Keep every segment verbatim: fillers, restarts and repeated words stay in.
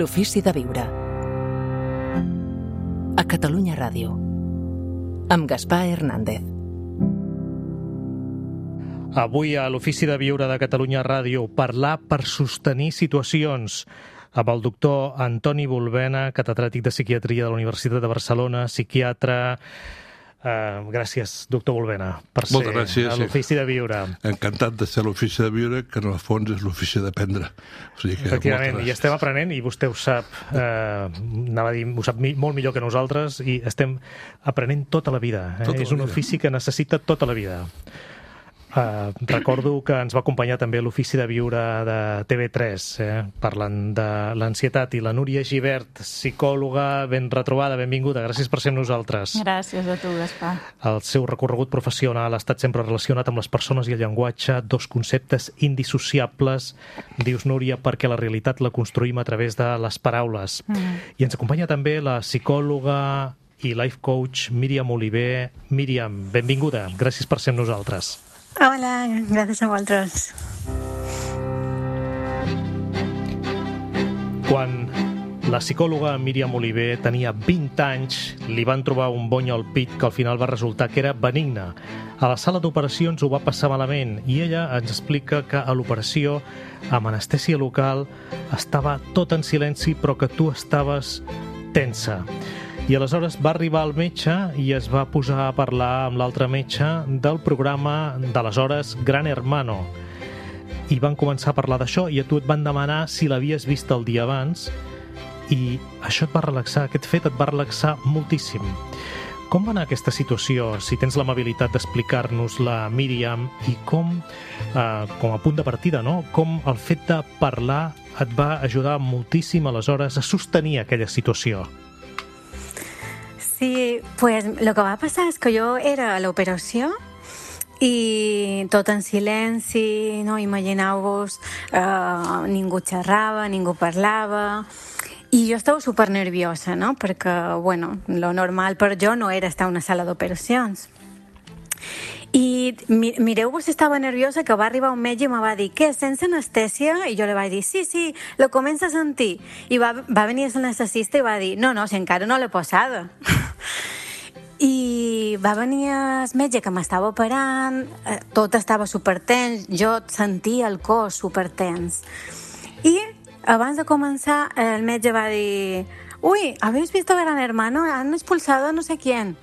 L'ofici de viure. A Catalunya Ràdio. Amb Gaspar Hernández. Avui a l'Ofici de Viure de Catalunya Ràdio, parlar per sostenir situacions, amb el doctor Antoni Bulbena, catedràtic de psiquiatria de la Universitat de Barcelona, psiquiatre. Uh, gràcies, doctor Bulbena, per ser gràcies, a l'Ofici de Viure. Encantat de ser a l'Ofici de Viure, que en el fons és l'ofici d'aprendre. O sigui que efectivament, i estem aprenent, i vostè ho sap, eh, anava a dir, ho sap mi, molt millor que nosaltres, i estem aprenent tota la vida. Eh? Tota és la un vida. ofici que necessita tota la vida. Uh, recordo que ens va acompanyar també a l'Ofici de Viure de T V tres, eh, parlant de l'ansietat, i la Núria Gibert, psicòloga, ben retrobada, benvinguda, gràcies per ser amb nosaltres. Gràcies a tu, Gaspar. El seu recorregut professional ha estat sempre relacionat amb les persones i el llenguatge, dos conceptes indissociables, dius, Núria, perquè la realitat la construïm a través de les paraules. Mm. I ens acompanya també la psicòloga i life coach Míriam Oliver. Míriam, benvinguda, gràcies per ser amb nosaltres. Hola, gràcies a vosaltres. Quan la psicòloga Míriam Oliver tenia vint anys, li van trobar un bony al pit que al final va resultar que era benigne. A la sala d'operacions ho va passar malament i ella ens explica que a l'operació, amb anestèsia local, estava tot en silenci però que tu estaves tensa. I aleshores va arribar el metge i es va posar a parlar amb l'altre metge del programa d'aleshores Gran Hermano. I van començar a parlar d'això i a tu et van demanar si l'havies vist el dia abans i això et va relaxar, aquest fet et va relaxar moltíssim. Com va anar aquesta situació, si tens l'amabilitat d'explicar-nos-la, Míriam, i com, eh, com a punt de partida, no? Com el fet de parlar et va ajudar moltíssim aleshores a sostenir aquella situació? Sí, pues lo que va passar és que jo era a l'operació i tot en silenci, no? Imagineu-vos, eh, ningú xerrava, ningú parlava, i jo estava super nerviosa, no? Perquè, bueno, lo normal per jo no era estar a una sala d'operacions. I mireu-vos, estava nerviosa, que va arribar un metge i me va dir, què, sense anestèsia? I jo li vaig dir, sí, sí, lo comença a sentir. I va, va venir l'anestesista i va dir, no, no, si encara no l'he posada. I va venir el metge que m'estava operant, tot estava supertens, jo sentia el cos supertens. I abans de començar el metge va dir, uy, ¿habéis visto Gran Hermano? Han expulsado a no sé quién.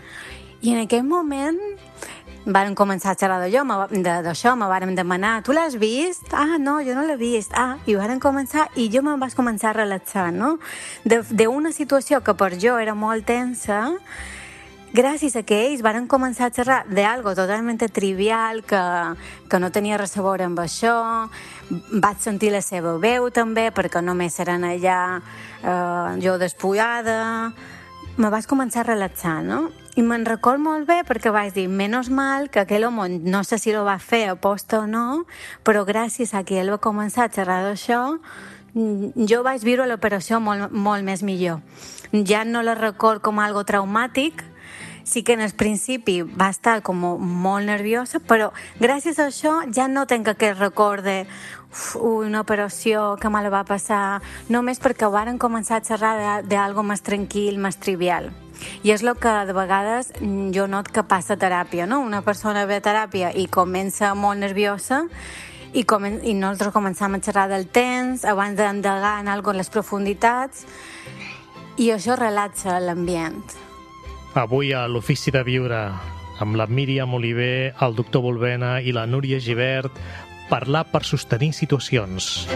I en aquell moment varen començar a xerrar d'això, me varen demanar, tu l'has vist? Ah, no, jo no l'he vist. Ah, i varen començar, i jo me'n vaig començar a relaxar, no? D'una situació que per jo era molt tensa, gràcies a que ells varen començar a xerrar d'algo totalment trivial, que, que no tenia res a veure amb això, vaig sentir la seva veu també, perquè només eren allà eh, jo despullada, me vaig començar a relaxar, no? I me'n record molt bé perquè vaig dir, menys mal que aquell home, no sé si ho va fer a posta o no, però gràcies a que ell va començar a xerrar d'això, jo vaig viure l'operació molt, molt més millor. Ja no la record com algo traumàtic, sí que en el principi va estar com molt nerviosa, però gràcies a això ja no tenc aquest record de una operació que me la va passar, només perquè varen començar a xerrar d'algo més tranquil, més trivial. I és el que de vegades jo not que passa a teràpia, no? Una persona ve a teràpia i comença molt nerviosa i, comen i nosaltres començam a xerrar del temps abans d'endegar en algo en les profunditats i això relaxa l'ambient. Avui a l'Ofici de Viure amb la Míriam Oliver, el doctor Bulbena i la Núria Gibert, parlar per sostenir situacions.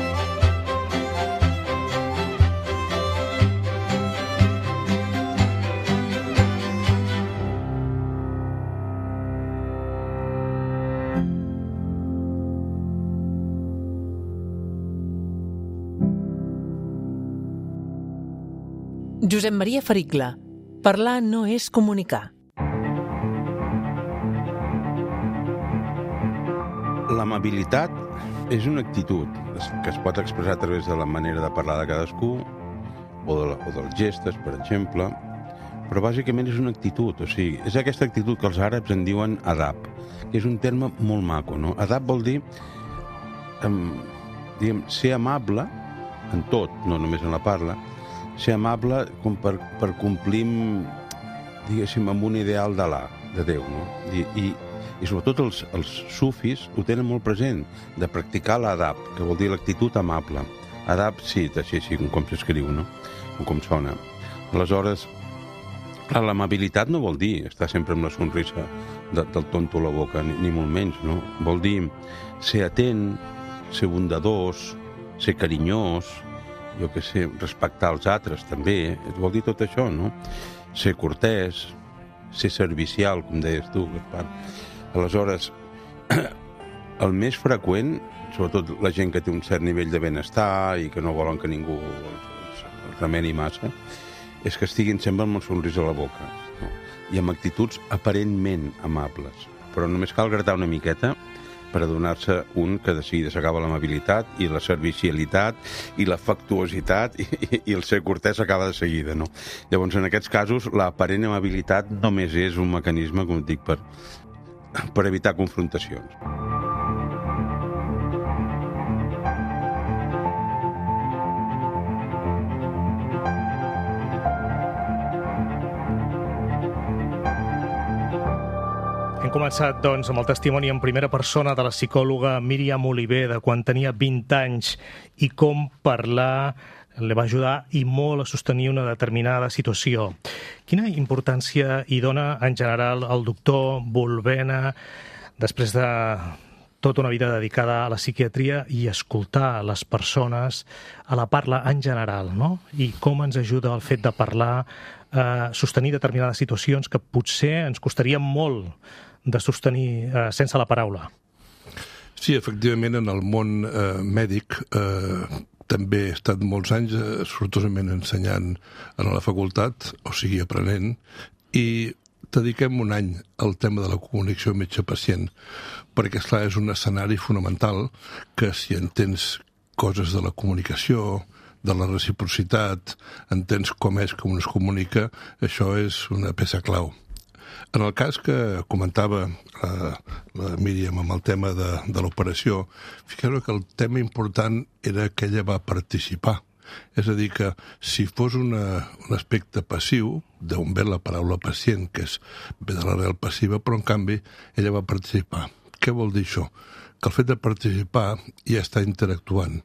Josep Maria Fericla. Parlar no és comunicar. L'amabilitat és una actitud que es pot expressar a través de la manera de parlar de cadascú o, de la, o dels gestos, per exemple, però bàsicament és una actitud, o sigui, és aquesta actitud que els àrabs en diuen adab, que és un terme molt maco, no? Adab vol dir um, diguem, ser amable en tot, no només en la parla, ser amable com per, per complir, diguéssim, amb un ideal d'Alà, de Déu, no? I, i, i sobretot els, els sufis ho tenen molt present, de practicar l'adab, que vol dir l'actitud amable. Adab, sí, així, així com s'escriu, no? O com sona. Aleshores, clar, l'amabilitat no vol dir estar sempre amb la sonrisa de, del tonto a la boca, ni, ni molt menys, no? Vol dir ser atent, ser bondadós, ser carinyós, jo què sé, respectar els altres també, vol dir tot això, no? Ser cortès, ser servicial, com deies tu, Gaspar. Aleshores, el més freqüent, sobretot la gent que té un cert nivell de benestar i que no volen que ningú els, els, els remeni massa, és que estiguin sempre amb un somrís a la boca, no? I amb actituds aparentment amables. Però només cal gratar una miqueta per adonar-se un que de seguida s'acaba l'amabilitat i la servicialitat i l'afectuositat i, i, i el ser cortès s'acaba de seguida, no? Llavors, en aquests casos, l'aparent amabilitat només és un mecanisme, com dic, per, per evitar confrontacions. Hem començat, doncs, amb el testimoni en primera persona de la psicòloga Míriam Oliver de quan tenia vint anys i com parlar li va ajudar i molt a sostenir una determinada situació. Quina importància hi dona en general el doctor Volvena després de tota una vida dedicada a la psiquiatria i escoltar les persones a la parla en general, no? I com ens ajuda el fet de parlar a sostenir determinades situacions que potser ens costaria molt de sostenir eh, sense la paraula. Sí, efectivament, en el món eh, mèdic eh, també he estat molts anys eh, sortosament ensenyant a la facultat, o sigui, aprenent, i dediquem un any al tema de la comunicació metge-pacient, perquè, esclar, és un escenari fonamental que si entens coses de la comunicació, de la reciprocitat, entens com és, com es comunica, això és una peça clau. En el cas que comentava la, la Míriam amb el tema de, de l'operació, fixeu que el tema important era que ella va participar. És a dir, que si fos una, un aspecte passiu, d'on ve la paraula pacient, que és ve de l'arrel passiva, però en canvi ella va participar. Què vol dir això? Que el fet de participar ja està interactuant.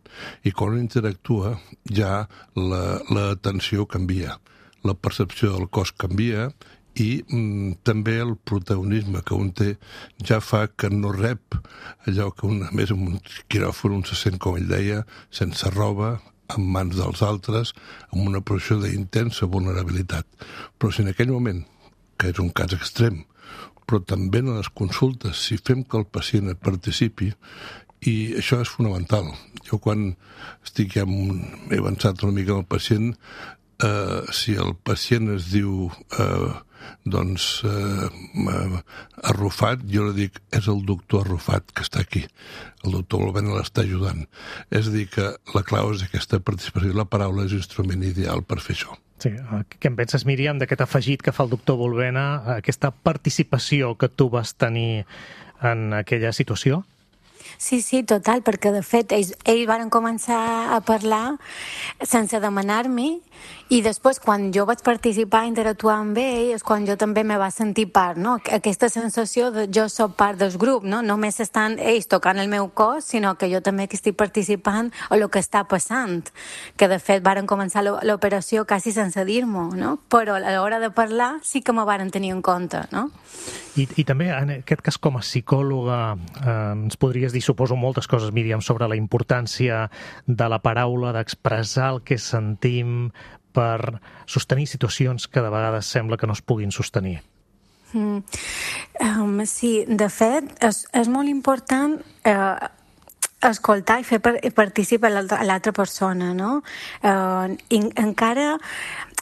I quan interactua ja l'atenció canvia, la percepció del cos canvia i mm, també el protagonisme que un té ja fa que no rep allò que un, a més en un quiròfon un se sent, com ell deia, sense roba, en mans dels altres, amb una posició d'intensa vulnerabilitat. Però si en aquell moment, que és un cas extrem, però també en les consultes, si fem que el pacient participi, i això és fonamental. Jo quan estic ja un, he avançat una mica amb el pacient, eh, si el pacient es diu eh, doncs eh, arrufat, jo li dic és el doctor arrufat que està aquí, el doctor Volvena l'està ajudant. És a dir, que la clau és aquesta participació, la paraula és l'instrument ideal per fer això. Sí, què en penses, Míriam, d'aquest afegit que fa el doctor Volvena, aquesta participació que tu vas tenir en aquella situació? Sí, sí, total, perquè de fet ells, ells van començar a parlar sense demanar-m'hi i després quan jo vaig participar i interactuar amb ell és quan jo també me va sentir part, no? Aquesta sensació de jo soc part del grup, no? Només estan ells tocant el meu cos, sinó que jo també que estic participant a el que està passant, que de fet varen començar l'operació quasi sense dir-m'ho, no? Però a l'hora de parlar sí que me varen tenir en compte, no? I, i també, en aquest cas, com a psicòloga, eh, ens podries dir, suposo, moltes coses, Míriam, sobre la importància de la paraula, d'expressar el que sentim per sostenir situacions que de vegades sembla que no es puguin sostenir. Mm. Um, sí, de fet, és, és molt important eh, escoltar i fer participar l'altra persona, no? Eh, i encara...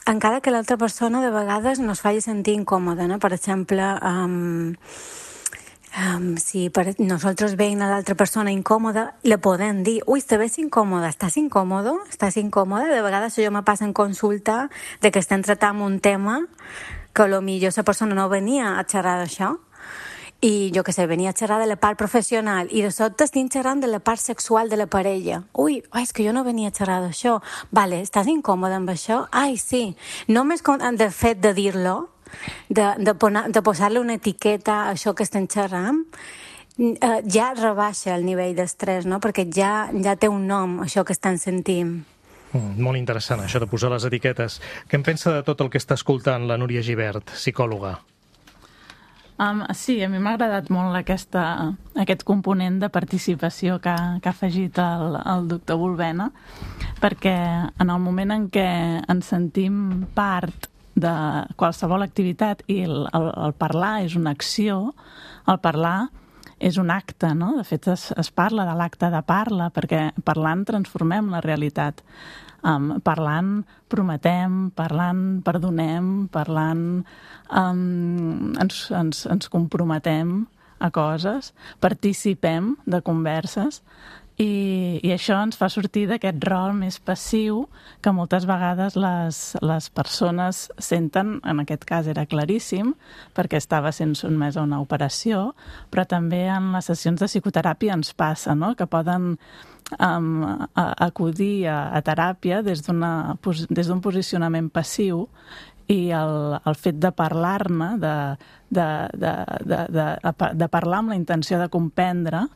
encara que l'altra persona de vegades no es faci sentir incòmoda, no? Per exemple, um, um, si per nosaltres veiem a l'altra persona incòmoda, le podem dir, ui, te ves incòmoda, estàs incòmodo? Estàs incòmoda? De vegades això me passa en consulta de que estem tractant un tema que potser la persona no venia a xerrar d'això i jo que sé, venia a xerrar de la part professional i de sobte estic xerrant de la part sexual de la parella. Ui, ai, és que jo no venia a xerrar d'això. Vale, estàs incòmode amb això? Ai, sí. Només del fet de dir-lo, de, de, de posar-li una etiqueta a això que estem xerrant, eh, ja rebaixa el nivell d'estrès, no? Perquè ja, ja té un nom, això que estan sentint. Mm, molt interessant, això de posar les etiquetes. Què en pensa de tot el que està escoltant la Núria Gibert, psicòloga? Um, sí, a mi m'ha agradat molt aquesta, aquest component de participació que, que ha afegit el, el doctor Bulbena, perquè en el moment en què ens sentim part de qualsevol activitat i el, el, el parlar és una acció, el parlar és un acte, no? De fet, es, es parla de l'acte de parla, perquè parlant transformem la realitat. Um, parlant prometem, parlant perdonem, parlant um, ens, ens, ens comprometem a coses, participem de converses i, i això ens fa sortir d'aquest rol més passiu que moltes vegades les, les persones senten. En aquest cas era claríssim perquè estava sent sotmès a una operació, però també en les sessions de psicoteràpia ens passa, no? Que poden Um, a, acudir a, a teràpia des d'una, des d'un posicionament passiu i el, el fet de parlar-ne, de, de, de, de, de, de parlar amb la intenció de comprendre,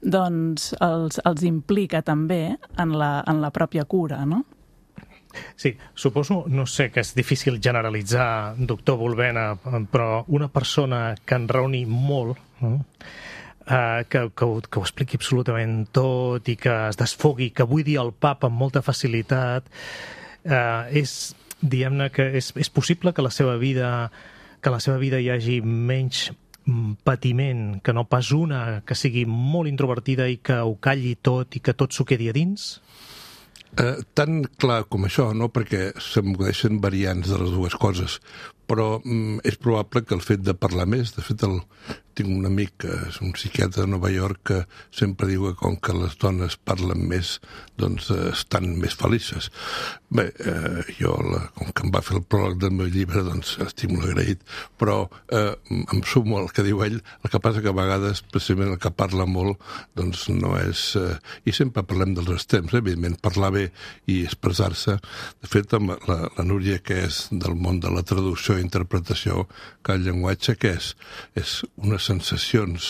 doncs els, els implica també en la, en la pròpia cura, no? Sí, suposo, no sé, que és difícil generalitzar, doctor Bulbena, però una persona que en raoni molt, no? Uh, que, que, ho, que ho expliqui absolutament tot i que es desfogui, que vull dir el pap amb molta facilitat, uh, és, diguem-ne, que és, és possible que la seva vida que la seva vida hi hagi menys patiment que no pas una que sigui molt introvertida i que ho calli tot i que tot s'ho quedi a dins? Eh, tan clar com això, no? Perquè se'm coneixen variants de les dues coses, però mm, és probable que el fet de parlar més, de fet el, tinc un amic que és un psiquiatre de Nova York que sempre diu que com que les dones parlen més, doncs eh, estan més felices. Bé, eh, jo, la, com que em va fer el pròleg del meu llibre, doncs estic molt agraït, però eh, em sumo al que diu ell. El que passa que a vegades, precisament el que parla molt, doncs no és... Eh, I sempre parlem dels extrems, eh? Evidentment, parlar bé i expressar-se. De fet, amb la, la Núria, que és del món de la traducció i interpretació, que el llenguatge què és? És unes sensacions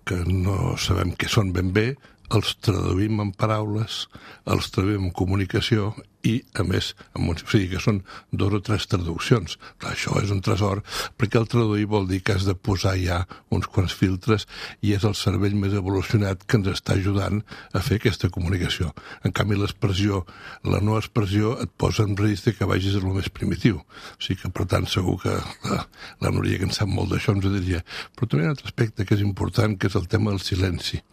que no sabem què són ben bé, els traduïm en paraules, els traduïm en comunicació i, a més, amb un, o sigui que són dos o tres traduccions. Clar, això és un tresor, perquè el traduir vol dir que has de posar ja uns quants filtres i és el cervell més evolucionat que ens està ajudant a fer aquesta comunicació. En canvi, l'expressió, la no expressió, et posa en risc que vagis a lo més primitiu. O sigui que, per tant, segur que la, la Núria, que en sap molt d'això, ens ho diria. Però també hi ha un altre aspecte que és important, que és el tema del silenci.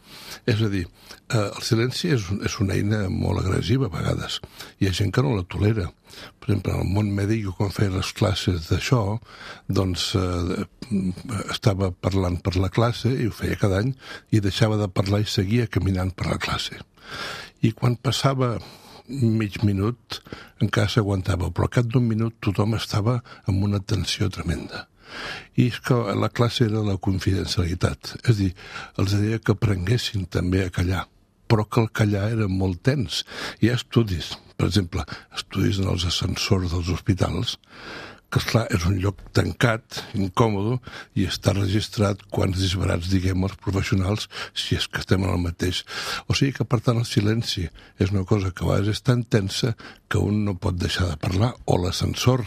És a dir, eh, el silenci és, és una eina molt agressiva a vegades. Hi ha gent que no la tolera. Per exemple, en el món mèdic, jo quan feia les classes d'això, doncs eh, estava parlant per la classe, i ho feia cada any, i deixava de parlar i seguia caminant per la classe. I quan passava mig minut, encara s'aguantava, però al cap d'un minut tothom estava amb una tensió tremenda. I és que la classe era la confidencialitat, és a dir, els deia que aprenguessin també a callar, però que el callar era molt tens. Hi ha estudis, per exemple, estudis en els ascensors dels hospitals, que, esclar, és un lloc tancat, incòmode, i està registrat quants disbarats diguem els professionals, si és que estem en el mateix. O sigui que, per tant, el silenci és una cosa que a vegades és tan tensa que un no pot deixar de parlar, o l'ascensor.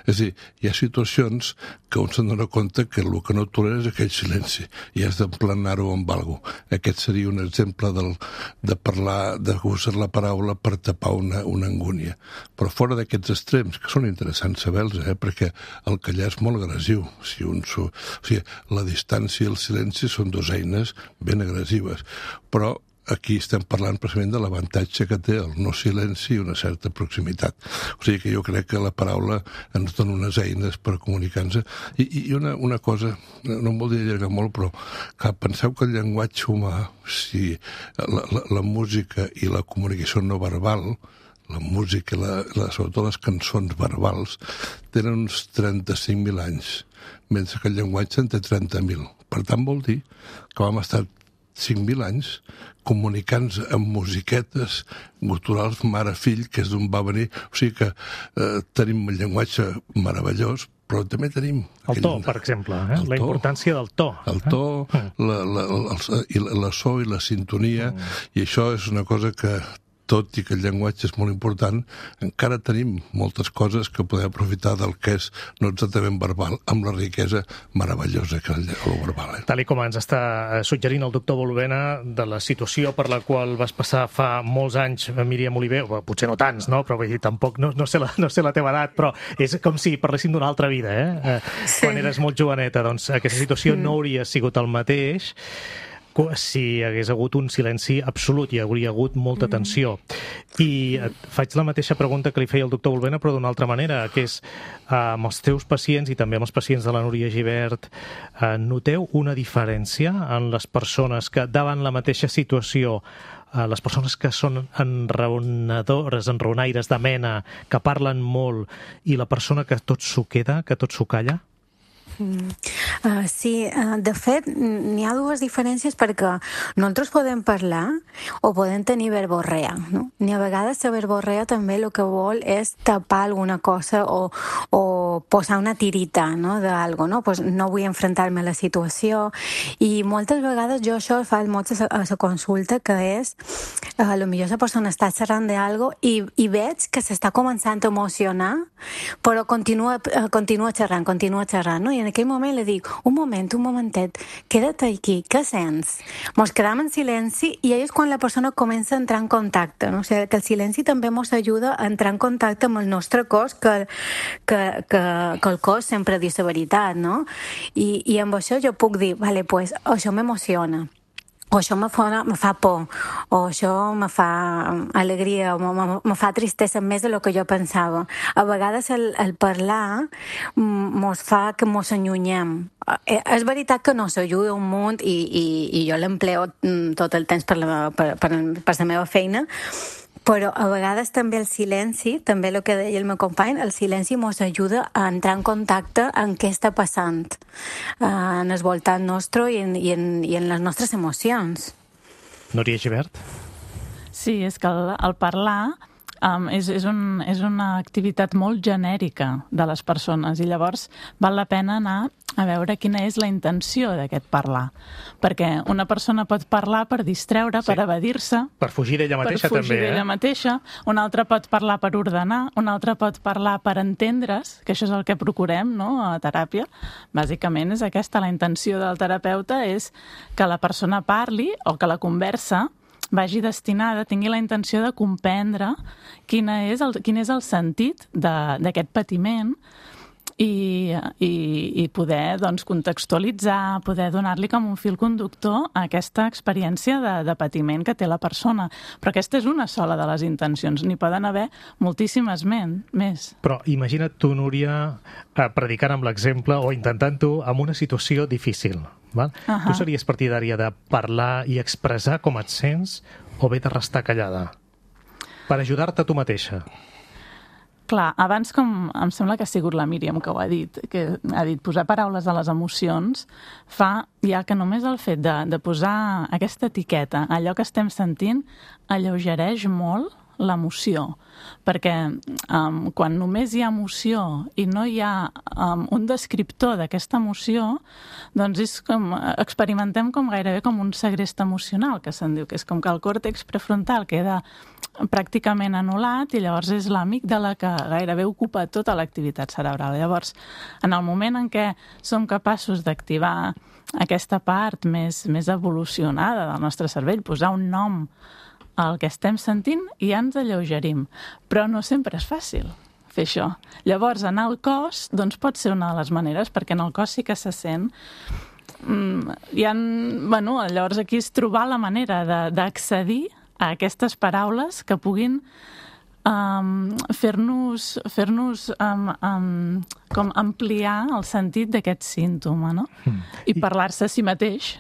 És a dir, hi ha situacions que un se'n dona compte que el que no tolera és aquell silenci, i has d'emplenar-ho amb alguna cosa. Aquest seria un exemple del, de parlar, de usar la paraula per tapar una, una angúnia. Però fora d'aquests extrems, que són interessants saber-los, eh, perquè el callar és molt agressiu. Si un so... o sigui, la distància i el silenci són dues eines ben agressives, però aquí estem parlant precisament de l'avantatge que té el no silenci i una certa proximitat. O sigui que jo crec que la paraula ens dona unes eines per comunicar-nos. I, i una, una cosa, no em voldria allargar molt, però que penseu que el llenguatge humà, si la, la, la música i la comunicació no verbal, la música, la, la, sobretot les cançons verbals, tenen uns trenta-cinc mil anys, mentre que el llenguatge en té trenta mil. Per tant, vol dir que vam estar cinc mil anys comunicant amb musiquetes guturals mare-fill, que és d'on va venir. O sigui que eh, tenim un llenguatge meravellós, però també tenim... El to, per exemple, eh? la importància del to. El to, eh? la, la, la, la, la so i la sintonia, mm. i això és una cosa que, tot i que el llenguatge és molt important, encara tenim moltes coses que podem aprofitar del que és no exactament verbal, amb la riquesa meravellosa que és el verbal. Eh? Tal i com ens està suggerint el doctor Bolvena, de la situació per la qual vas passar fa molts anys, Míriam Oliver, o potser no tants, no? Però vull dir, tampoc, no, no, sé la, no sé la teva edat, però és com si parléssim d'una altra vida, eh? Sí. Quan eres molt joveneta, doncs aquesta situació mm. no hauria sigut el mateix si hagués hagut un silenci absolut, hi hauria hagut molta tensió. I faig la mateixa pregunta que li feia el doctor Bolvena, però d'una altra manera, que és, amb els teus pacients i també amb els pacients de la Núria Gibert, noteu una diferència en les persones que, davant la mateixa situació, les persones que són enraonadores, enraonaires de mena, que parlen molt, i la persona que tot s'ho queda, que tot s'ho calla? Mm. Uh, sí, uh, de fet n'hi ha dues diferències, perquè nosaltres podem parlar o podem tenir verborrea, no? Ni a vegades la verborrea també el que vol és tapar alguna cosa o, o posar una tirita, no, d'algo, no? Pues no vull enfrontar-me a la situació, i moltes vegades jo això faig molt a la consulta, que és uh, a lo millor la persona està xerrant d'algo i, i veig que s'està començant a emocionar, però continua, uh, continua xerrant, continua xerrant, no? I en aquell moment li dic, un moment, un momentet, queda't aquí, què sents? Mos quedam en silenci i és quan la persona comença a entrar en contacte, no? O sigui, que el silenci també mos ajuda a entrar en contacte amb el nostre cos, que, que, que, que el cos sempre diu la veritat, no? I, i amb això jo puc dir, vale, pues, això m'emociona, o això me fa, me fa por, o això me fa alegria, o me, me fa tristesa més del que jo pensava. A vegades el, el parlar mos fa que mos allunyem. És veritat que no s'ajuda un munt, i, i, i jo l'empleo tot el temps per la, per, per, per la meva feina, però a vegades també el silenci, també el que deia el meu company, el silenci mos ajuda a entrar en contacte amb què està passant en el voltant nostre i en, i en, i en les nostres emocions. Núria Gibert? Sí, és que el, el parlar um, és, és, un, és una activitat molt genèrica de les persones, i llavors val la pena anar a veure quina és la intenció d'aquest parlar. Perquè una persona pot parlar per distreure, sí, per evadir-se, per fugir d'ella mateixa, per fugir també, d'ella eh? mateixa, una altra pot parlar per ordenar, una altra pot parlar per entendre's, que això és el que procurem, no?, a teràpia. Bàsicament és aquesta, la intenció del terapeuta és que la persona parli, o que la conversa vagi destinada, tingui la intenció de comprendre quina és el, quin és el sentit d'aquest patiment, I, i, i poder, doncs, contextualitzar, poder donar-li com un fil conductor a aquesta experiència de, de patiment que té la persona. Però aquesta és una sola de les intencions, n'hi poden haver moltíssimes men, més. Però imagina't tu, Núria, predicant amb l'exemple o intentant-ho amb una situació difícil, val? Uh-huh. Tu series partidària de parlar i expressar com et sents, o bé de restar callada? Per ajudar-te a tu mateixa. Clar, abans, com em sembla que ha sigut la Míriam que ho ha dit, que ha dit posar paraules a les emocions, fa ja que només el fet de, de posar aquesta etiqueta, allò que estem sentint, alleugereix molt l'emoció, perquè um, quan només hi ha emoció i no hi ha um, un descriptor d'aquesta emoció, doncs és com, experimentem com gairebé com un segrest emocional, que se'n diu, que és com que el còrtex prefrontal queda pràcticament anul·lat i llavors és l'amígdala que gairebé ocupa tota l'activitat cerebral. Llavors, en el moment en què som capaços d'activar aquesta part més, més evolucionada del nostre cervell, posar un nom al que estem sentint, i ja ens alleugerim. Però no sempre és fàcil fer això. Llavors, anar al cos, doncs pot ser una de les maneres, perquè en el cos sí que se sent. Mm, hi ha, bueno, llavors aquí és trobar la manera d'accedir a aquestes paraules que puguin um, fer-nos fer-nos um, um, com ampliar el sentit d'aquest símptoma, no? Mm. I parlar-se a si mateix,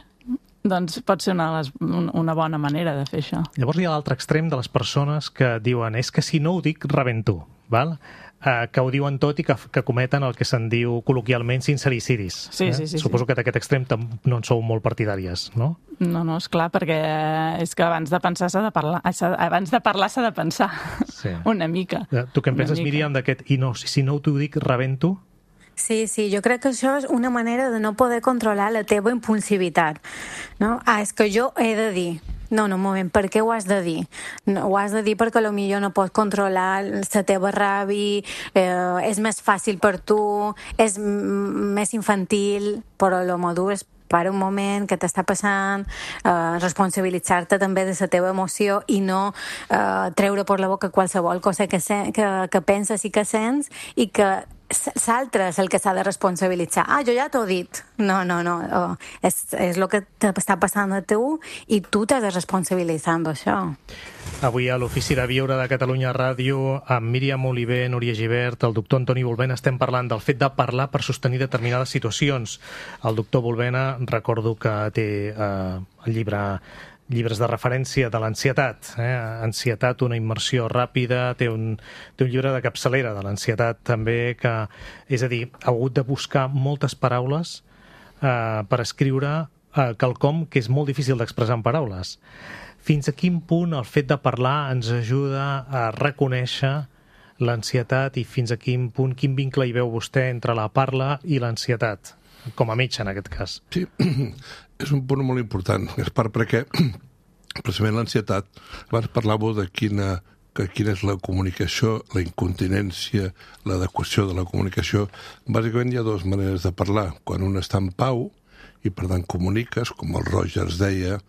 doncs pot ser una, les, una bona manera de fer això. Llavors hi ha l'altre extrem de les persones que diuen és que si no ho dic, rebento, val? eh, que ho diuen tot i que, que cometen el que se'n diu col·loquialment sincericidis. Sí, eh? sí, sí, Suposo sí. que d'aquest extrem no en sou molt partidàries, no? No, no, esclar, perquè és que abans de pensar s'ha de parlar, abans de parlar s'ha de pensar, Sí. una mica. Tu què en Una penses, mica. Míriam, d'aquest i no, si no t'ho dic, rebento? Sí, sí, jo crec que això és una manera de no poder controlar la teva impulsivitat, no? Ah, és que jo he de dir. No, no, un moment, per què ho has de dir? No, ho has de dir perquè potser no pots controlar la teva ràbia, eh, és més fàcil per tu, és m- més infantil, però el modur és para un moment que t'està passant, eh, responsabilitzar-te també de la teva emoció i no eh, treure per la boca qualsevol cosa que, se, que, que penses i que sents i que l'altre és el que s'ha de responsabilitzar. Ah, jo ja t'ho he dit. No, no, no. Oh, és, és el que t'està passant a tu i tu t'has de responsabilitzar amb això. Avui a l'Ofici de Viure de Catalunya Ràdio, amb Míriam Oliver, Núria Gibert, el doctor Antoni Volbena, estem parlant del fet de parlar per sostenir determinades situacions. El doctor Volbena, recordo que té eh, el llibre llibres de referència de l'ansietat. Eh? Ansietat, una immersió ràpida, té un, té un llibre de capçalera de l'ansietat també, que, és a dir, ha hagut de buscar moltes paraules eh, per escriure eh, quelcom que és molt difícil d'expressar en paraules. Fins a quin punt el fet de parlar ens ajuda a reconèixer l'ansietat i fins a quin punt, quin vincle hi veu vostè entre la parla i l'ansietat, com a metge en aquest cas? Sí, és un punt molt important, és part perquè precisament l'ansietat, abans parlàveu de quina, que quina és la comunicació, la incontinència, l'adequació de la comunicació. Bàsicament hi ha dues maneres de parlar. Quan un està en pau i per tant comuniques, com el Rogers deia,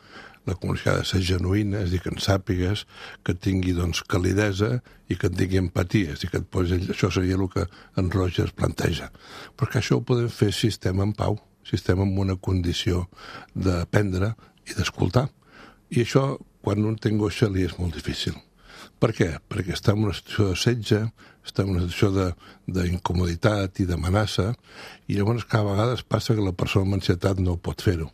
la comunicació ha de ser genuïna, és a dir, que en sàpigues, que tingui doncs, calidesa i que en tingui empatia, és a dir, que et posi, això seria el que en Rogers planteja. Però que això ho podem fer si estem en pau, si estem en una condició d'aprendre i d'escoltar. I això, quan un té angoixa, li és molt difícil. Per què? Perquè està en una situació de setge, està en una situació d'incomoditat i d'amenaça, i llavors cada vegada passa que la persona amb ansietat no pot fer-ho.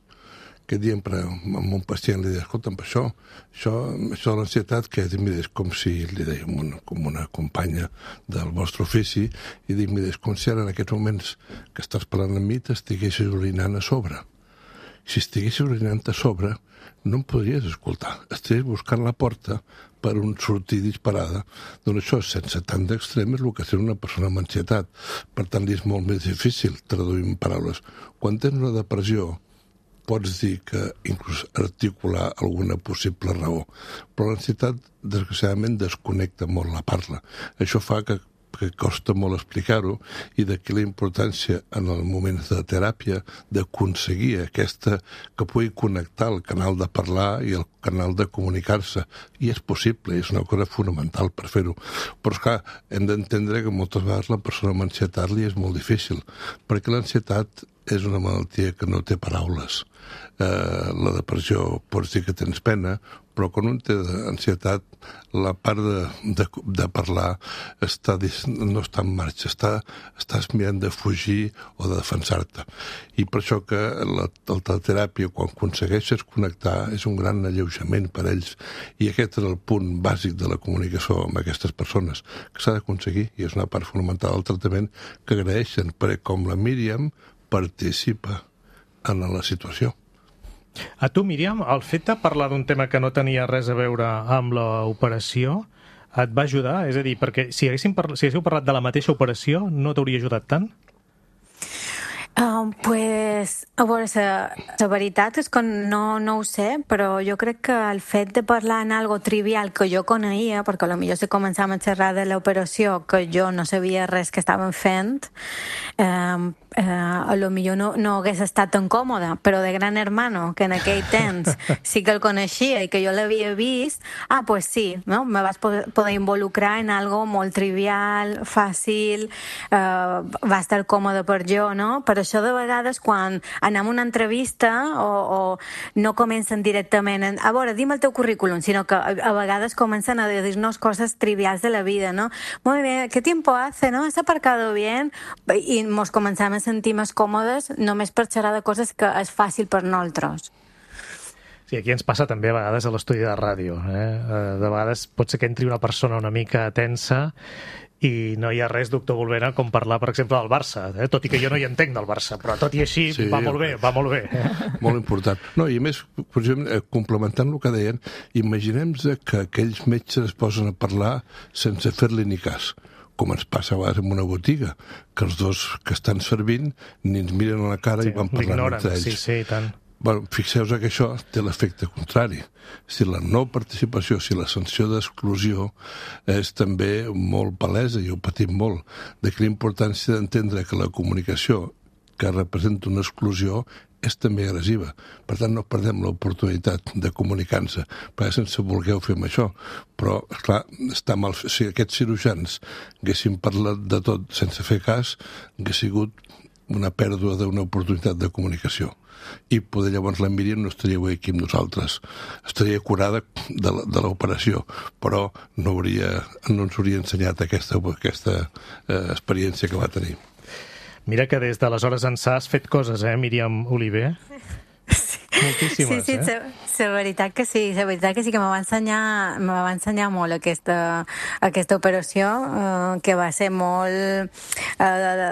Aquest dia amb un pacient li deia, escolta'm, això, això, això de l'ansietat, que mira, és com si, li deia una, com una companya del vostre ofici, i dic, mira, és com si ara en aquests moments que estàs parlant amb mi t'estiguessis orinant a sobre. Si estiguessis orinant a sobre, no em podries escoltar. Estaries buscant la porta per un sortir disparada. Doncs això, sense tant d'extrem, és el que és una persona amb ansietat. Per tant, li és molt més difícil traduir en paraules. Quan tens una depressió, pots dir que inclús articular alguna possible raó. Però l'ansietat, desgraciadament, desconnecta molt la parla. Això fa que, que costa molt explicar-ho i d'aquí la importància en els moments de teràpia d'aconseguir aquesta que pugui connectar el canal de parlar i el canal de comunicar-se. I és possible, és una cosa fonamental per fer-ho. Però, esclar, hem d'entendre que moltes vegades la persona amb ansietat li és molt difícil, perquè l'ansietat és una malaltia que no té paraules. Eh, la depressió pots dir que tens pena, però quan un té ansietat, la part de, de, de parlar està, no està en marxa, està, estàs mirant de fugir o de defensar-te. I per això que la, la teràpia, quan aconsegueixes connectar, és un gran alleujament per ells. I aquest és el punt bàsic de la comunicació amb aquestes persones, que s'ha d'aconseguir, i és una part fonamental del tractament que agraeixen, perquè com la Míriam participa en la situació. A tu, Míriam, el fet de parlar d'un tema que no tenia res a veure amb l'operació et va ajudar? És a dir, perquè si haguéssim parla... si haguéssiu parlat de la mateixa operació, no t'hauria ajudat tant? Uh, pues, a veure, la, la veritat és que no, no ho sé, però jo crec que el fet de parlar en algo trivial que jo coneixia, perquè potser si començàvem a xerrar de l'operació que jo no sabia res que estàvem fent, eh, eh, a lo millor no, no hagués estat tan còmoda, però de Gran Hermano, que en aquell temps sí que el coneixia i que jo l'havia vist, ah, pues sí, no? Me vas poder, poder involucrar en algo molt trivial, fàcil, eh, va estar còmode per jo, no? Per això de vegades quan anem a una entrevista o, o no comencen directament en, a veure, dim el teu currículum, sinó que a, a vegades comencen a dir-nos coses trivials de la vida, no? Muy bien, ¿qué tiempo hace, no? ¿Has aparcado bien? I ens començam a sentir més còmodes només per xerrar de coses que és fàcil per nosaltres. Sí, aquí ens passa també a vegades a l'estudi de ràdio. Eh? De vegades pot ser que entri una persona una mica tensa I no hi ha res, doctor Volvena, com parlar, per exemple, del Barça, eh? Tot i que jo no hi entenc del Barça, però tot i així sí, va molt bé, va molt bé. Molt important. No, i a més, complementant el que deien, imaginem-nos que aquells metges es posen a parlar sense fer-li ni cas, com ens passa a vegades en una botiga, que els dos que estan servint ni ens miren a la cara sí, i van parlant entre ells. Sí, sí, i tant. Bueno, fixeu-vos que això té l'efecte contrari. Si la no participació, si la sanció d'exclusió és també molt palesa, i ho patim molt, de que la importància d'entendre que la comunicació que representa una exclusió és també agressiva. Per tant, no perdem l'oportunitat de comunicar-nos, perquè sense voler ho fem això. Però, esclar, està mal... Si aquests cirurgians haguessin parlat de tot sense fer cas, hagués sigut una pèrdua d'una oportunitat de comunicació. I poder llavors la Míriam no estaria avui aquí amb nosaltres. Estaria curada de l'operació, però no, hauria, no ens hauria ensenyat aquesta, aquesta eh, experiència que va tenir. Mira que des d'aleshores ençà has fet coses, eh, Míriam Oliver? Moltíssimes, sí, sí, eh? Sí, la veritat que sí, la veritat que sí que me va ensenyar, me va ensenyar molt aquesta, aquesta operació, eh, que va ser molt... Eh, de,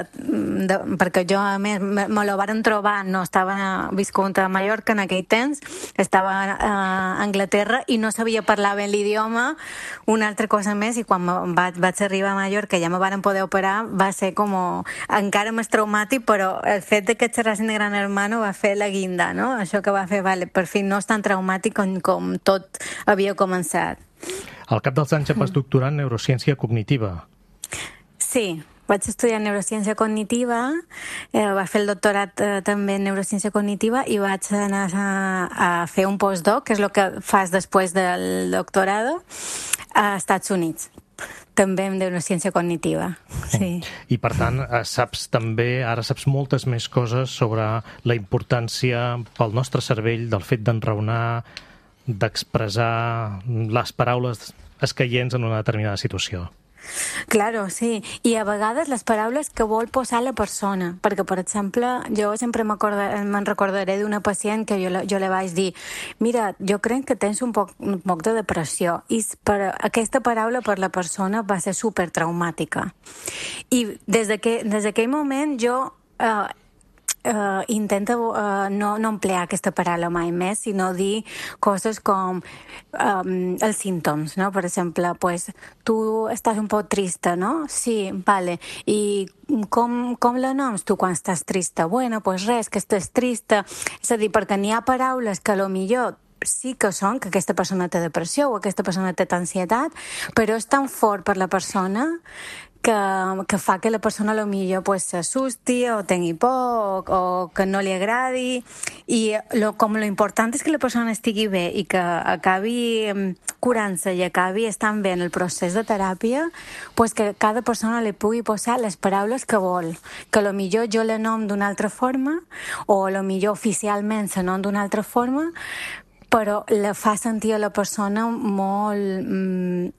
de, perquè jo, a més, me, me la varen trobar, no estava viscut a Mallorca en aquell temps, estava a Anglaterra i no sabia parlar bé l'idioma, una altra cosa més, i quan va, vaig arribar a Mallorca ja me varen poder operar, va ser com encara més traumàtic, però el fet de que xerrassin de Gran Hermano va fer la guinda, no? Això que va fer, vale, per fi no és tan traumàtic com, com tot havia començat. Al cap dels anys et vas doctorar en neurociència cognitiva. Sí, vaig estudiar neurociència cognitiva, eh, vaig fer el doctorat eh, també en neurociència cognitiva i vaig anar a, a fer un postdoc, que és el que fas després del doctorado, a Estats Units. També en neurociència cognitiva, sí. I per tant, saps també, ara saps moltes més coses sobre la importància pel nostre cervell del fet d'enraonar, d'expressar les paraules escaients en una determinada situació. Claro, sí. I a vegades les paraules que vol posar la persona. Perquè, per exemple, jo sempre me'n recordaré d'una pacient que jo, jo li vaig dir mira, jo crec que tens un poc, un poc de depressió. I per, aquesta paraula per la persona va ser supertraumàtica. I des d'aquell moment jo... Eh, Uh, intenta uh, no, no emplear aquesta paraula mai més, sinó dir coses com um, els símptomes, no? Per exemple, pues, tu estàs un poc trista, no? Sí, vale. I com, com la noms tu quan estàs trista? Bueno, pues res, que estàs trista. És a dir, perquè n'hi ha paraules que a lo millor sí que són que aquesta persona té depressió o aquesta persona té ansietat, però és tan fort per la persona que, que fa que la persona a lo millor pues, s'assusti o tingui por o, o que no li agradi, i lo, com lo important és que la persona estigui bé i que acabi curant-se i acabi estant bé en el procés de teràpia, pues que cada persona li pugui posar les paraules que vol, que a lo millor jo la nom d'una altra forma o a lo millor oficialment se nom d'una altra forma, però la fa sentir a la persona molt mm,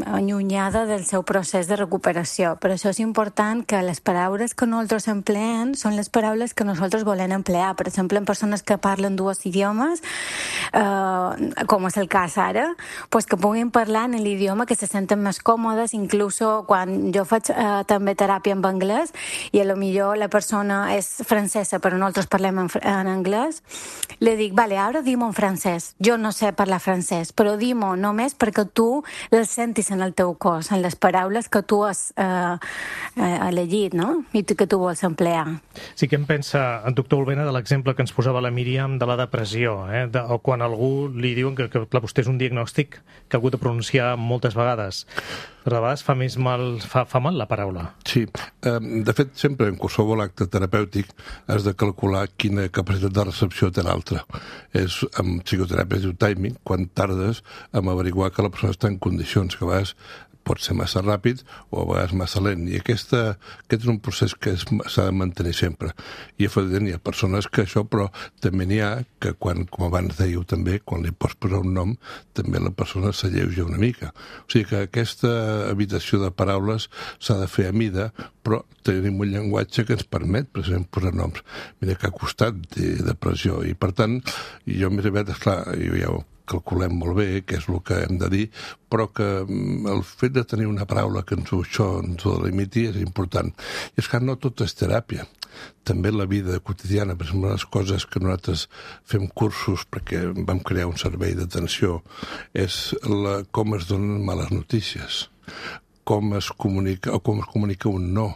allunyada del seu procés de recuperació. Per això és important que les paraules que nosaltres empleem són les paraules que nosaltres volem emplear. Per exemple, en persones que parlen dues idiomes, eh, com és el cas ara, pues que puguin parlar en l'idioma que se senten més còmodes, inclús quan jo faig eh, també teràpia en anglès i a lo millor la persona és francesa però nosaltres parlem en, en anglès, li dic, vale, ara dim-ho en francès. Jo no sé parlar francès, però dim-ho només perquè tu les sentis en el teu cos, en les paraules que tu has eh, eh, elegit, no? I que tu vols emplear. Sí, què en pensa en doctor Olvena de l'exemple que ens posava la Míriam de la depressió, eh? de, o quan algú li diuen que, que clar, vostè és un diagnòstic que ha hagut de pronunciar moltes vegades. Però a vegades fa més mal, fa, fa mal la paraula. Sí, de fet, sempre en qualsevol acte terapèutic has de calcular quina capacitat de recepció té l'altre. És, en psicoteràpia es diu timing, quan tardes en averiguar que la persona està en condicions, que a vegades pot ser massa ràpid o a vegades massa lent. I aquesta, aquest és un procés que s'ha de mantenir sempre. I efectivament hi ha persones que això, però també n'hi ha que quan, com abans dèieu també, quan li pots posar un nom, també la persona s'alleuja una mica. O sigui que aquesta habitació de paraules s'ha de fer a mida, però tenim un llenguatge que ens permet precisament posar noms. Mira que ha costat de depressió. I per tant, jo m'he arribat, esclar, jo ja calculem molt bé què és el que hem de dir, però que el fet de tenir una paraula que ens ho, això ens ho delimiti és important. I és que no tot és teràpia. També la vida quotidiana, per exemple, les coses que nosaltres fem cursos perquè vam crear un servei d'atenció, és la, com es donen males notícies, com es comunica, o com es comunica un no,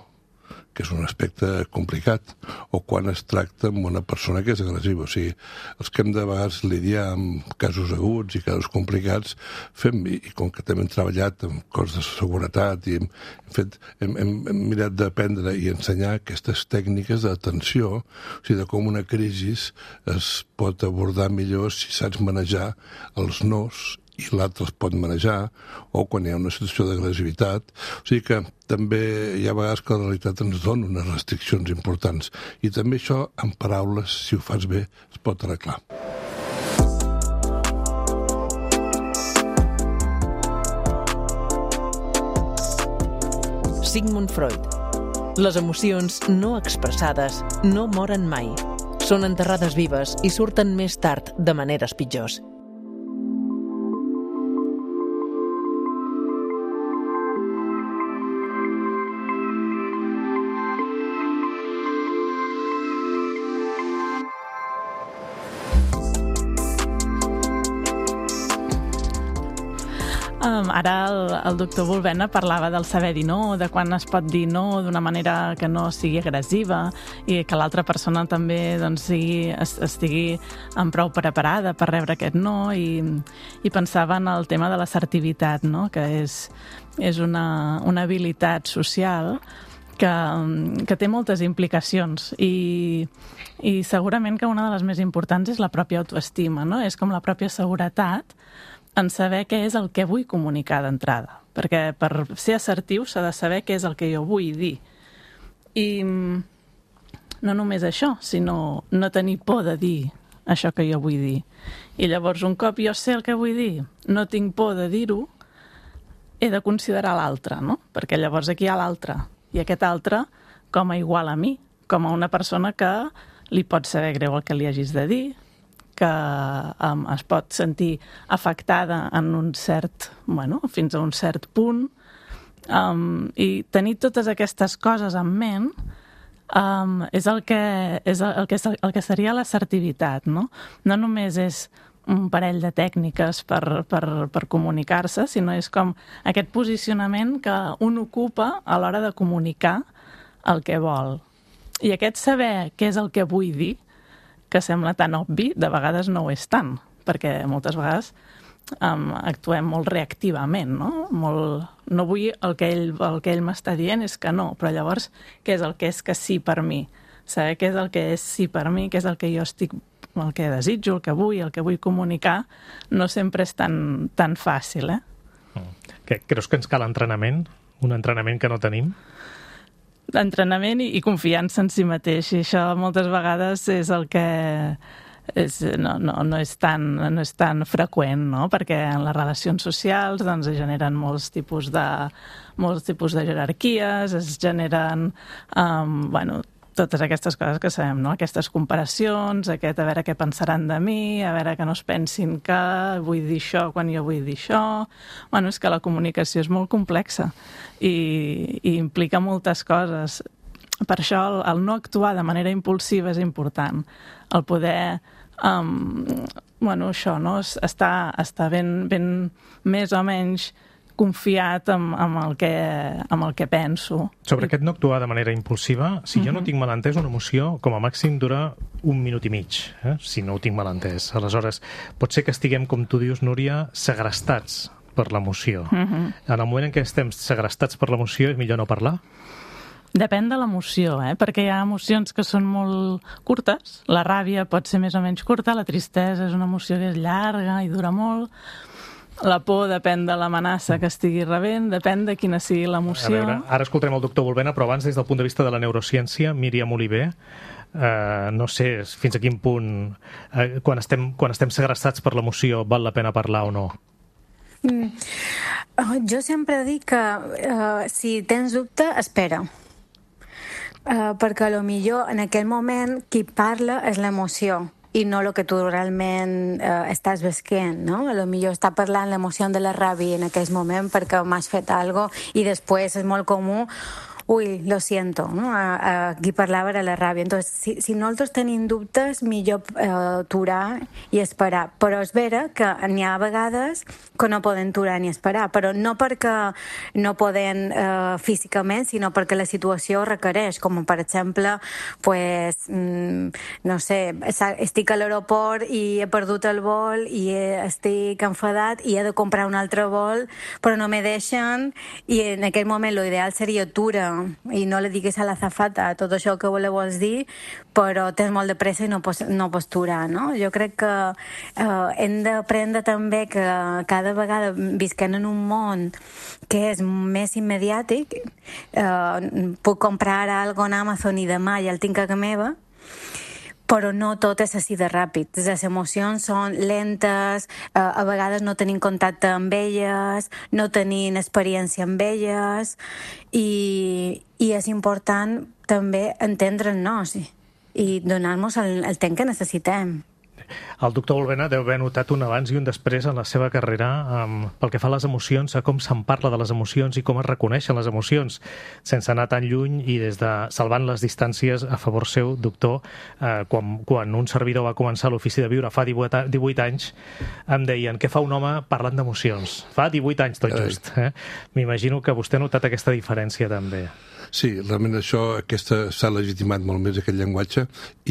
que és un aspecte complicat, o quan es tracta amb una persona que és agressiva. O sigui, els que hem de vegades lidiar amb casos aguts i casos complicats, fem, i, i com que també hem treballat amb coses de seguretat i hem, fet, hem, hem, hem mirat d'aprendre i ensenyar aquestes tècniques d'atenció, o sigui, de com una crisi es pot abordar millor si saps manejar els nos i l'altre els pot manejar, o quan hi ha una situació d'agressivitat. O sigui que també hi ha vegades que la realitat ens dona unes restriccions importants. I també això, en paraules, si ho fas bé, es pot arreglar. Sigmund Freud. Les emocions no expressades no moren mai. Són enterrades vives i surten més tard de maneres pitjors. Um, ara el, el doctor Volvena parlava del saber dir no, de quan es pot dir no d'una manera que no sigui agressiva i que l'altra persona també doncs, sigui, estigui amb prou preparada per rebre aquest no, i, i pensava en el tema de l'assertivitat, no? Que és, és una, una habilitat social que, que té moltes implicacions i, i segurament que una de les més importants és la pròpia autoestima, no? És com la pròpia seguretat en saber què és el que vull comunicar d'entrada. Perquè per ser assertiu s'ha de saber què és el que jo vull dir. I no només això, sinó no tenir por de dir això que jo vull dir. I llavors, un cop jo sé el que vull dir, no tinc por de dir-ho, he de considerar l'altre, no? Perquè llavors aquí hi ha l'altre. I aquest altre com a igual a mi, com a una persona que li pot saber greu el que li hagis de dir, que um, es pot sentir afectada en un cert, bueno, fins a un cert punt, um, i tenir totes aquestes coses en ment um, és, el que, és el, que, el que seria l'assertivitat, no? No només és un parell de tècniques per, per, per comunicar-se, sinó és com aquest posicionament que un ocupa a l'hora de comunicar el que vol. I aquest saber què és el que vull dir, que sembla tan obvi, de vegades no ho és tant, perquè moltes vegades um, actuem molt reactivament, no? Molt, no vull el que ell, el que ell m'està dient és que no, però llavors què és el que és que sí per mi? Saber què és el que és sí per mi, què és el que jo estic, el que desitjo, el que vull, el que vull comunicar, no sempre és tan, tan fàcil, eh? Què, creus que ens cal entrenament? Un entrenament que no tenim? D'entrenament i, i confiança en si mateix, i això moltes vegades és el que és, no, no, no, és tan, no és tan freqüent, no? Perquè en les relacions socials doncs, es generen molts tipus de, molts tipus de jerarquies, es generen um, bueno, totes aquestes coses que sabem, no? Aquestes comparacions, aquest a veure què pensaran de mi, a veure que no es pensin que vull dir això quan jo vull dir això. Bueno, és que la comunicació és molt complexa i, i implica moltes coses. Per això el, el no actuar de manera impulsiva és important. El poder, um, bueno, això, no? Estar, estar ben, ben més o menys confiat amb, amb, el que, amb el que penso. Sobre aquest no actuar de manera impulsiva, si uh-huh. jo no tinc mal entès, una emoció com a màxim dura un minut i mig, eh? Si no ho tinc mal entès. Aleshores, pot ser que estiguem, com tu dius, Núria, segrestats per l'emoció. Uh-huh. En el moment en què estem segrestats per l'emoció, és millor no parlar? Depèn de l'emoció, eh? Perquè hi ha emocions que són molt curtes. La ràbia pot ser més o menys curta, la tristesa és una emoció que és llarga i dura molt. La por depèn de l'amenaça que estigui rebent, depèn de quina sigui l'emoció. A veure, ara escoltarem el doctor Volvena, però abans, des del punt de vista de la neurociència, Míriam Oliver, eh, no sé fins a quin punt, eh, quan, estem, quan estem segrestats per l'emoció, val la pena parlar o no? Mm. Jo sempre dic que uh, si tens dubte, espera. Uh, perquè a lo millor en aquell moment qui parla és l'emoció i no el que tu realment eh, estàs visquent, no? A lo millor està parlant l'emoció de la ràbia en aquell moment perquè m'has fet alguna cosa i després és molt comú uy, lo siento, no? A, a qui parlava era la ràbia. Entonces, si, si nosaltres tenim dubtes, millor eh, aturar i esperar. Però és vera que n'hi ha vegades que no poden aturar ni esperar, però no perquè no poden eh, físicament, sinó perquè la situació requereix, com per exemple, pues, mm, no sé, estic a l'aeroport i he perdut el vol i estic enfadat i he de comprar un altre vol, però no me deixen, i en aquell moment l'ideal seria aturar i no li diguis a l'azafata tot això que vols dir, però tens molt de pressa i no pots, no pots aturar, no? Jo crec que eh, hem d'aprendre també que cada vegada visquem en un món que és més immediàtic. Eh, puc comprar ara alguna cosa en Amazon i demà ja el tinc a casa meva, però no tot és així de ràpid. Les emocions són lentes, eh, a vegades no tenim contacte amb elles, no tenim experiència amb elles, i, i és important també entendre'ns i, i donar-nos el, el temps que necessitem. El doctor Bulbena deu haver notat un abans i un després en la seva carrera um, pel que fa a les emocions, a com se'n parla de les emocions i com es reconeixen les emocions, sense anar tan lluny i des de salvant les distàncies a favor seu, doctor. Eh, quan, quan un servidor va començar a l'Ofici de Viure fa divuit anys, em deien, què fa un home parlant d'emocions? Fa divuit anys, tot just. Eh? M'imagino que vostè ha notat aquesta diferència també. Sí, realment això, aquesta s'ha legitimat molt més aquest llenguatge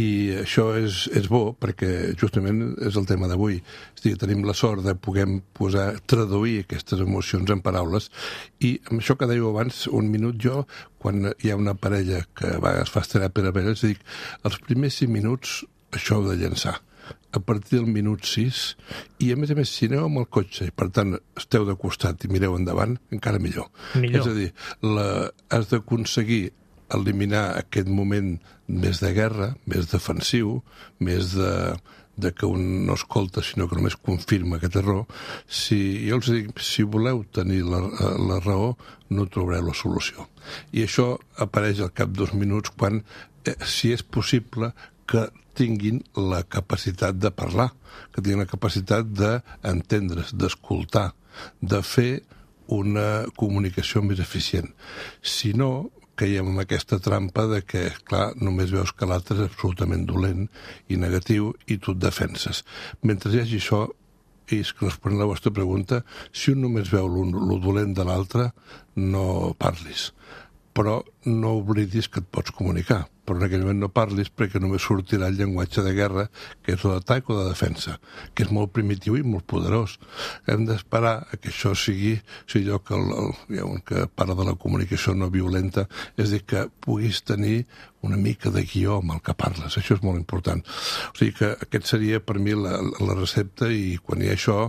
i això és, és bo perquè justament és el tema d'avui. És a dir, tenim la sort de poder posar, traduir aquestes emocions en paraules i amb això que dèieu abans, un minut jo, quan hi ha una parella que va, es fa teràpia per parelles, dic, els primers cinc minuts això heu de llançar. A partir del minut sis, i a més a més, si aneu amb el cotxe i per tant esteu de costat i mireu endavant, encara millor. millor. És a dir, la, has d'aconseguir eliminar aquest moment més de guerra, més defensiu, més de, de que un no escolta sinó que només confirma que té raó. Si, jo els dic, si voleu tenir la, la raó, no trobareu la solució. I això apareix al cap dos minuts quan, eh, si és possible, que tinguin la capacitat de parlar, que tinguin la capacitat d'entendre's, d'escoltar, de fer una comunicació més eficient. Si no, caiem en aquesta trampa de que, clar, només veus que l'altre és absolutament dolent i negatiu i tu et defenses. Mentre hi hagi això, i és que responent a la vostra pregunta, si un només veu el dolent de l'altre, no parlis. Però no oblidis que et pots comunicar. Però en aquell moment no parlis perquè només sortirà el llenguatge de guerra, que és o d'atac o de defensa, que és molt primitiu i molt poderós. Hem d'esperar que això sigui, o sigui, allò que, el, el, que parla de la comunicació no violenta, és dir, que puguis tenir una mica de guió amb el que parles. Això és molt important. O sigui que aquest seria per mi la, la recepta i quan hi ha això,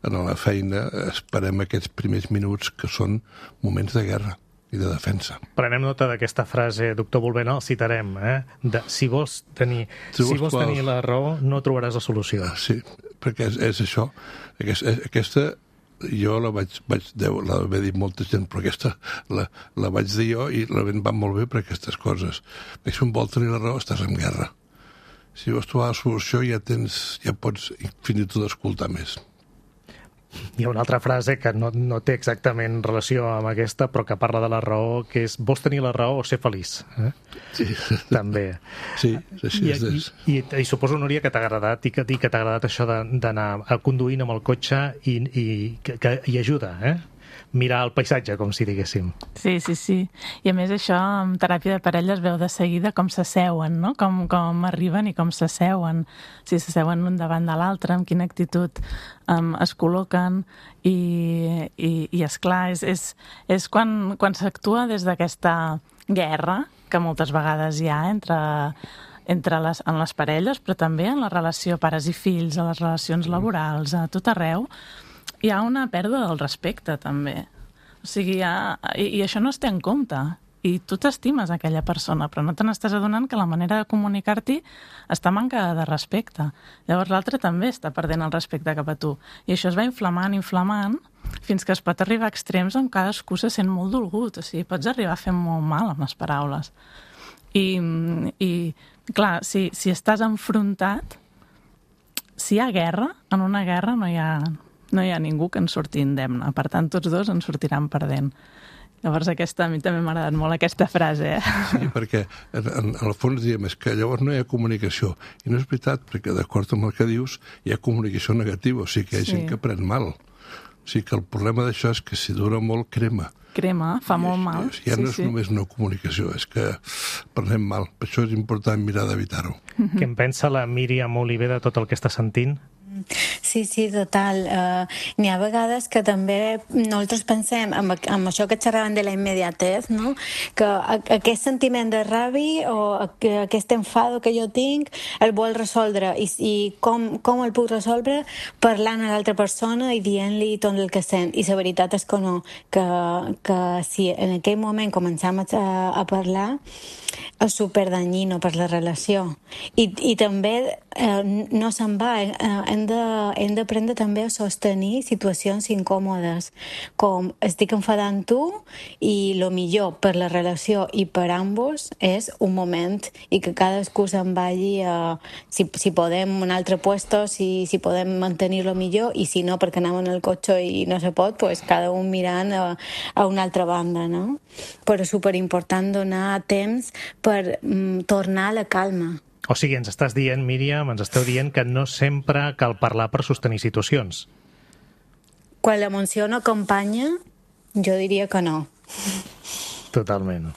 en la feina, esperem aquests primers minuts que són moments de guerra i de defensa. Prenem nota d'aquesta frase, doctor Bulbena, el citarem, eh? De, si vols tenir, si vols, si vols tenir la raó, no trobaràs la solució. Sí, perquè és, és això. Aquesta, aquesta jo la vaig, vaig la vaig dir molta gent, però aquesta la, la vaig dir jo i la va molt bé per aquestes coses. Perquè si un vol tenir la raó, estàs en guerra. Si vols trobar la solució, ja tens, ja pots fins i tot escoltar més. Hi ha una altra frase que no, no té exactament relació amb aquesta, però que parla de la raó, que és vols tenir la raó o ser feliç. Eh? Sí. També. Sí, així I, és. I, i, i suposo, Núria, que t'ha agradat i que, i que t'ha agradat això d'anar conduint amb el cotxe i, i que, que hi ajuda, eh? Mirar el paisatge, com si diguéssim. Sí, sí, sí. I a més això, en teràpia de parella es veu de seguida com s'asseuen, no? Com, com arriben i com s'asseuen. Si s'asseuen un davant de l'altre, amb quina actitud um, es col·loquen i, i, i esclar, és, és, és quan, quan s'actua des d'aquesta guerra que moltes vegades hi ha entre, entre les, en les parelles, però també en la relació pares i fills, a les relacions laborals, a tot arreu, hi ha una pèrdua del respecte, també. O sigui, ha, i, i això no es té en compte. I tu t'estimes aquella persona, però no te n'estàs adonant que la manera de comunicar-t'hi està mancada de respecte. Llavors l'altre també està perdent el respecte cap a tu. I això es va inflamant, inflamant, fins que es pot arribar a extrems on cadascú se sent molt dolgut. O sigui, pots arribar a fer molt mal amb les paraules. I, i clar, si, si estàs enfrontat, si hi ha guerra, en una guerra no hi ha, no hi ha ningú que en surti indemne. Per tant, tots dos en sortiran perdent. Llavors aquesta, a mi també m'ha agradat molt aquesta frase. Eh? Sí, perquè en, en el fons diem és que llavors no hi ha comunicació. I no és veritat, perquè d'acord amb el que dius hi ha comunicació negativa, o sigui que hi ha Sí. gent que pren mal. O sigui que el problema d'això és que si dura molt crema. Crema, fa molt mal. I ja no és sí, sí. només una comunicació, és que prenem mal. Per això és important mirar d'evitar-ho. Què en pensa la Míriam Oliver de tot el que està sentint? Sí, sí, total. Uh, N'hi ha vegades que també nosaltres pensem amb, amb això que xerraven de la immediatez, no? Que a, aquest sentiment de ràbia o a, aquest enfado que jo tinc el vol resoldre i, i com, com el puc resoldre parlant a l'altra persona i dient-li tot el que sent. I la veritat és que no, que, que si en aquell moment començam a, a parlar és superdanyino per la relació. I, i també eh, no se'n va, eh, hem de, hem d'aprendre també a sostenir situacions incòmodes, com estic enfadant tu i el millor per la relació i per ambos és un moment i que cadascú se'n vagi a, si, si podem un altre puesto, si, si podem mantenir-lo millor i si no perquè anem en el cotxe i no se pot, pues cada un mirant a, a una altra banda, no? Però és superimportant donar temps per mm, tornar a la calma. O sigui, ens estàs dient, Míriam, ens esteu dient que no sempre cal parlar per sostenir situacions. Quan l'emoció no acompanya, jo diria que no. Totalment.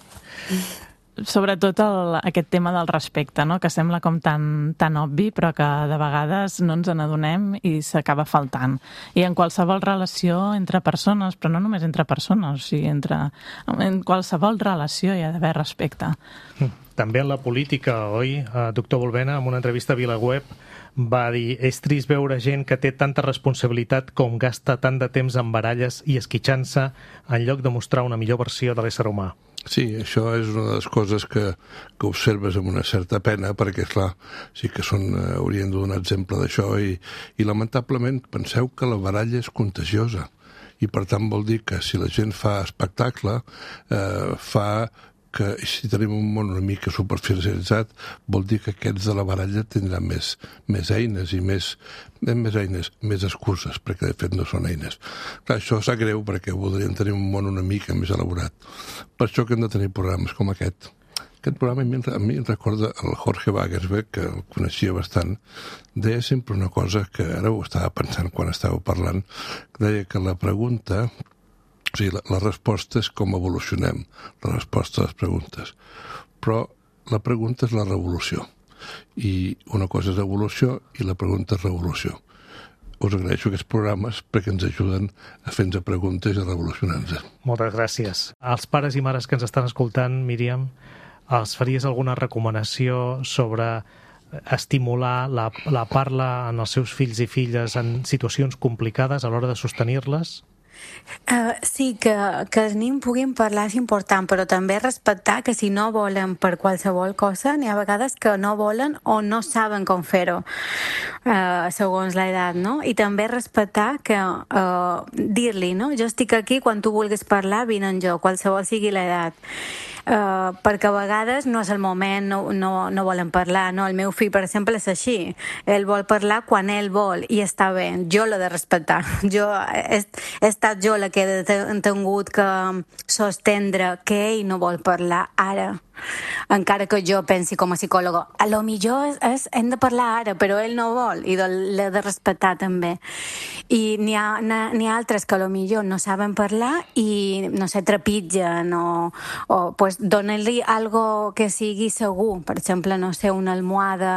Sobretot el, aquest tema del respecte, no? Que sembla com tan, tan obvi, però que de vegades no ens n'adonem i s'acaba faltant. I en qualsevol relació entre persones, però no només entre persones, o sigui, entre, en qualsevol relació hi ha d'haver respecte. També en la política, oi? Doctor Bulbena, en una entrevista a VilaWeb, va dir: és trist veure gent que té tanta responsabilitat com gasta tant de temps en baralles i esquitxant-se en lloc de mostrar una millor versió de l'ésser humà. Sí, això és una de les coses que, que observes amb una certa pena, perquè, esclar, sí que són, eh, haurien de donar exemple d'això, i, i lamentablement penseu que la baralla és contagiosa, i per tant vol dir que si la gent fa espectacle, eh, fa que si tenim un món una mica superficialitzat, vol dir que aquests de la baralla tindran més, més eines i més, més eines, més excuses, perquè de fet no són eines. Clar, això sap greu perquè voldríem tenir un món una mica més elaborat. Per això que hem de tenir programes com aquest. Aquest programa a mi, a mi em recorda el Jorge Wagersberg, que el coneixia bastant, deia sempre una cosa que ara ho estava pensant quan estàveu parlant, que deia que la pregunta... O sigui, la, la resposta és com evolucionem, la resposta a les preguntes. Però la pregunta és la revolució. I una cosa és evolució i la pregunta és revolució. Us agraeixo aquests programes perquè ens ajuden a fer-nos preguntes i a revolucionar-nos. Moltes gràcies. Als pares i mares que ens estan escoltant, Míriam, els faries alguna recomanació sobre estimular la, la parla en els seus fills i filles en situacions complicades a l'hora de sostenir-les? Uh, sí, que, que els nens puguin parlar és important, però també respectar que si no volen per qualsevol cosa, n'hi ha vegades que no volen o no saben com fer-ho, uh, segons l'edat, no? I també respectar que uh, dir-li, no? Jo estic aquí, quan tu vulguis parlar, vine en jo, qualsevol sigui l'edat. Uh, perquè a vegades no és el moment, no, no, no volen parlar, no? El meu fill, per exemple, és així. Ell vol parlar quan ell vol i està bé. Jo l'he de respectar. Jo he, he estat jo la que he tingut que sostendre que ell no vol parlar ara. Encara que jo pensi com a psicòloga, a lo millor és, és, hem de parlar ara, però ell no vol i l'he de respectar també. I n'hi ha, n'hi ha altres que a lo millor no saben parlar i, no sé, trepitgen o, o pues, donen-li algo que sigui segur, per exemple, no sé, una almohada,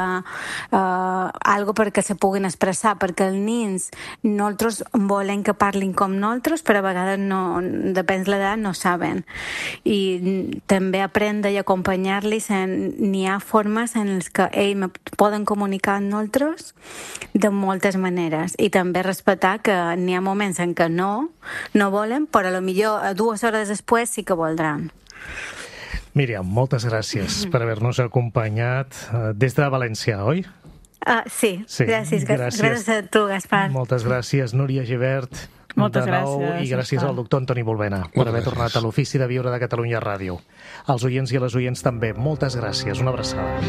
uh, algo perquè se puguin expressar, perquè els nens, nosaltres volem que parlin com nosaltres, però a vegades no, depèn de l'edat, no saben. I també aprendre i acompanyar-los, n'hi ha formes en les que ells poden comunicar amb nosaltres de moltes maneres, i també respectar que n'hi ha moments en què no, no volen, però potser dues hores després sí que voldran. Míriam, moltes gràcies per haver-nos acompanyat des de València, oi? Uh, sí, sí, gràcies, gràcies. Gràcies a tu, Gaspar. Moltes gràcies, Núria Gibert. Moltes de nou, gràcies. I gràcies Gaspar. al doctor Antoni Bulbena per Moltes haver gràcies. tornat a l'Ofici de Viure de Catalunya Ràdio. Als oients i a les oients també, moltes gràcies. Una abraçada.